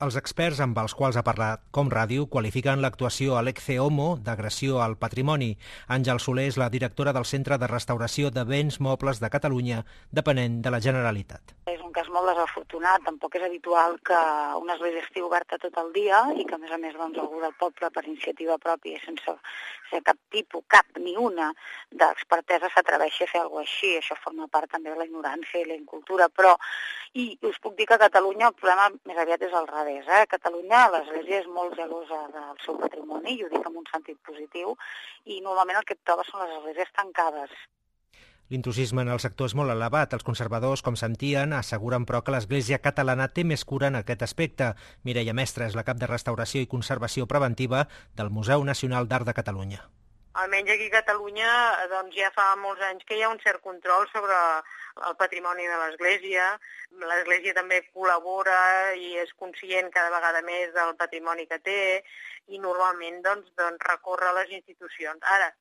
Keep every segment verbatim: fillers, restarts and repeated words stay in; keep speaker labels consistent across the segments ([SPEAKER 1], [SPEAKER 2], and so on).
[SPEAKER 1] Els experts amb els quals ha parlat Com Ràdio qualifiquen l'actuació a l'Ecce Homo d'agressió al patrimoni. Àngel Soler és la directora del Centre de Restauració de Béns Mobles de Catalunya, depenent de la Generalitat.
[SPEAKER 2] És un cas molt desafortunat, tampoc és habitual que una església estigui oberta tot el dia i que a més a més doncs, algú del poble per iniciativa pròpia i sense ser cap tipus, cap ni una d'expertesa s'atreveixi a fer alguna cosa així. Això forma part també de la ignorància i la incultura, però i us puc dir que a Catalunya el problema més aviat és al revés. Eh? A Catalunya l'Església és molt gelosa del seu patrimoni, i ho dic en un sentit positiu, i normalment el que et trobes són les esglésies tancades.
[SPEAKER 1] L'intrusisme en el sector és molt elevat. Els conservadors, com sentien, asseguren però que l'Església catalana té més cura en aquest aspecte. Mireia Mestre és la cap de Restauració i Conservació Preventiva del Museu Nacional d'Art de Catalunya.
[SPEAKER 3] Almenys aquí a Catalunya doncs, ja fa molts anys que hi ha un cert control sobre el patrimoni de l'Església. L'Església també col·labora i és conscient cada vegada més del patrimoni que té i normalment doncs, doncs, recorre a les institucions. Ara,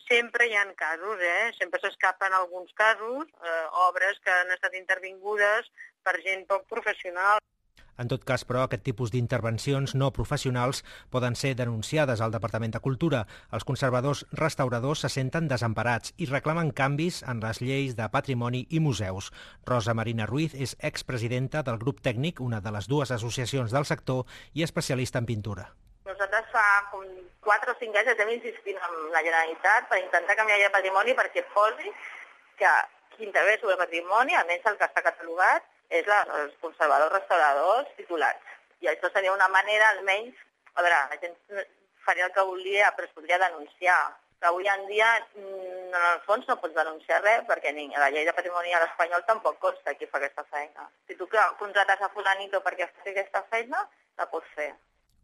[SPEAKER 3] sempre hi ha casos, eh? sempre s'escapen alguns casos, eh, obres que han estat intervingudes per gent poc professional.
[SPEAKER 1] En tot cas, però, aquest tipus d'intervencions no professionals poden ser denunciades al Departament de Cultura. Els conservadors restauradors se senten desemparats i reclamen canvis en les lleis de patrimoni i museus. Rosa Marina Ruiz és expresidenta del grup tècnic, una de les dues associacions del sector, i especialista en pintura.
[SPEAKER 3] Nosaltres fa com quatre o cinc anys estem insistint amb la Generalitat per intentar canviar el patrimoni perquè posi que qui intervé sobre el patrimoni, almenys el que està catalogat, és la, els conservadors restauradors titulats. I això seria una manera, almenys, a veure, la gent faria el que volia, però es podria denunciar. Però avui en dia, en el fons, no pots denunciar res, perquè ni a la llei de patrimoni a l'espanyol tampoc consta qui fa aquesta feina. Si tu contrates a fulanito perquè faci aquesta feina, la pots fer.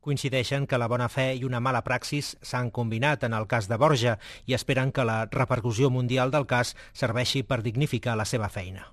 [SPEAKER 1] Coincideixen que la bona fe i una mala praxis s'han combinat en el cas de Borja i esperen que la repercussió mundial del cas serveixi per dignificar la seva feina.